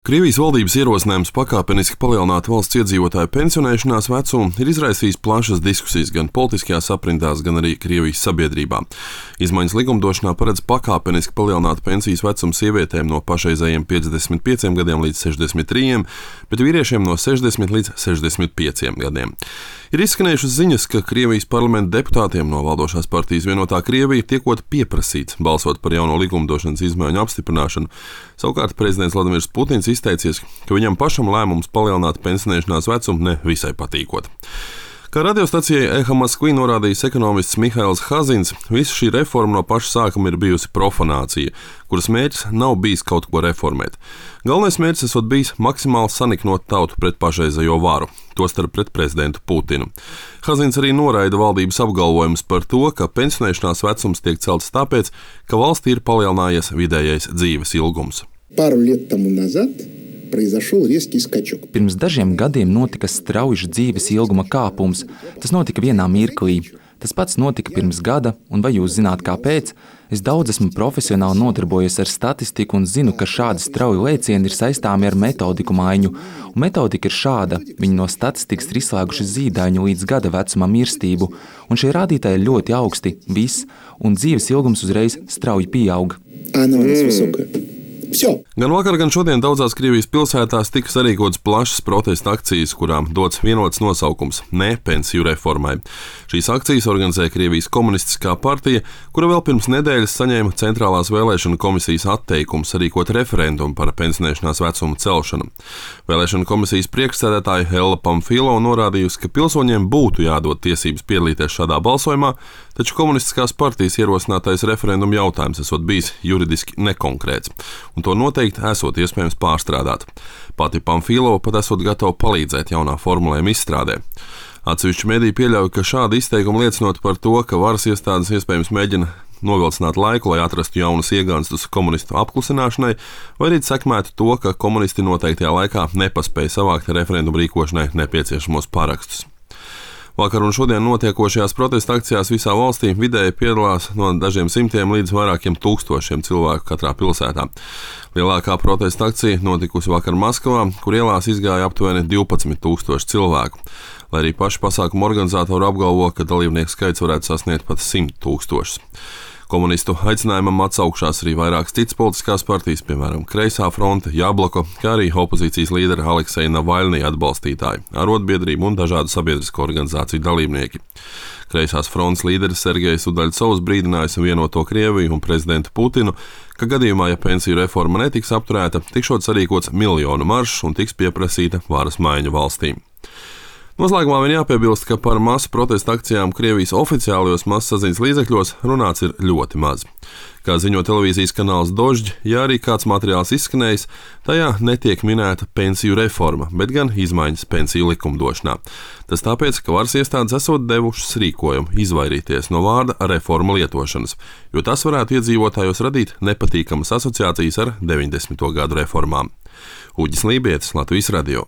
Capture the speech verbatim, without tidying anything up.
Krievijas valdības ierosinājums pakāpeniski palielināt valsts iedzīvotāju pensionēšanās vecumu ir izraisījis plašas diskusijas gan politiskajās aprindās, gan arī Krievijas sabiedrībā. Izmaiņas likumdošanā paredz pakāpeniski palielināt pensijas vecumu sievietēm no pašreizējiem piecdesmit pieciem gadiem līdz sešdesmit trījiem, bet vīriešiem no sešdesmit līdz sešdesmit pieciem gadiem. Ir izskanējušas ziņas, ka Krievijas parlamenta deputātiem no valdošās partijas Vienotā Krievija tiekot pieprasīts balsot par jauno likumdošanas izmaiņu apstiprināšanu. Savukārt prezidents Vladimirs Putins izteicies, ka viņam pašam lēmums palielināt pensionēšanās vecumu ne visai patīkot. Kā radiostacijai Eha Maskvī norādījis ekonomists Mihails Hazins, visa šī reforma no paša sākuma ir bijusi profanācija, kuras mērķis nav bijis kaut ko reformēt. Galvenais mērķis esot bijis maksimāli saniknot tautu pret pašreizējo varu, tostarp pret prezidentu Putinu. Hazins arī noraida valdības apgalvojumus par to, ka pensionēšanās vecums tiek celts tāpēc, ka valstī ir palielinājies vidējais dzīves ilgums. Пару лет тому назад произошел резкий скачок. Pirms dažiem gadiem notika strauji dzīves ilguma kāpums. Tas notika vienā mirklī. Tas pats notika pirms gada, un vai jūs zināt, kāpēc? Es daudz esmu profesionāli nodarbojies ar statistiku un zinu, ka šādi strauji lēcieni ir saistāmi ar metodiku maiņu. Un metodika ir šāda. Viņi no statistikas ir izslēguši zīdaiņu līdz gada vecuma mirstību, un šie rādītāji ir ļoti augsti, viss, un dzīves ilgums uzreiz strauji pieaug. Она у нас высокая. Все. Gan vakar, gan šodien daudzās Krievijas pilsētās tika sarīkotas plašas protesta akcijas, kurām dots vienots nosaukums – ne pensiju reformai. Šīs akcijas organizē Krievijas komunistiskā partija, kura vēl pirms nedēļas saņēma Centrālās vēlēšana komisijas atteikumu sarīkot referendumu par pensionēšanās vecumu celšanu. Vēlēšana komisijas priekšsēdētāja Ella Pamfilo norādījusi, ka pilsoņiem būtu jādod tiesības piedalīties šādā balsojumā, taču komunistiskās partijas ierosinātais referenduma jautājums esot bijis juridiski nekonkrēts, un to noteikti esot iespējams pārstrādāt. Pati Pamfilo pat esot gatava palīdzēt jaunā formulējuma izstrādē. Atsevišķi mediji pieļauj, ka šādi izteikumi liecinot par to, ka varas iestādes iespējams mēģina novilcināt laiku, lai atrastu jaunus iegānstus komunistu apklusināšanai, vai arī sekmētu to, ka komunisti noteiktajā laikā nepaspēja savākt referendumu rīkošanai nepieciešamos parakstus. Vakar un šodien notiekošajās protesta akcijās visā valstī vidēji piedalās no dažiem simtiem līdz vairākiem tūkstošiem cilvēku katrā pilsētā. Lielākā protesta akcija notikusi vakar Maskavā, kur ielās izgāja aptuveni divpadsmit tūkstoši cilvēku, lai arī paši pasākumu organizatori apgalvo, ka dalībnieku skaits varētu sasniegt pat simt tūkstošus. Komunistu aicinājumam atsaukšās arī vairākas citas politiskās partijas, piemēram, Kreisā fronte, Jabloko, kā arī opozīcijas līdera Alekseja Navaļnija atbalstītāji, arotbiedrību un dažādu sabiedrisko organizāciju dalībnieki. Kreisās frontes līderis Sergejs Udaļcovs brīdinājis Vienoto Krieviju un prezidentu Putinu, ka gadījumā, ja pensiju reforma netiks apturēta, tikšot sarīkots miljonu maršs un tiks pieprasīta varas maiņa valstī. Noslēgumā vien jāpiebilst, ka par masu protesta akcijām Krievijas oficiālajos masasaziņas līdzekļos runāts ir ļoti maz. Kā ziņo televīzijas kanāls Dožģi, ja arī kāds materiāls izskanējis, tajā netiek minēta pensiju reforma, bet gan izmaiņas pensiju likumdošanā. Tas tāpēc, ka varas iestādes esot devušas rīkojumu izvairīties no vārda reforma lietošanas, jo tas varētu iedzīvotājos radīt nepatīkamas asociācijas ar deviņdesmito gadu reformām. Uģis Lībietis, Latvijas radio.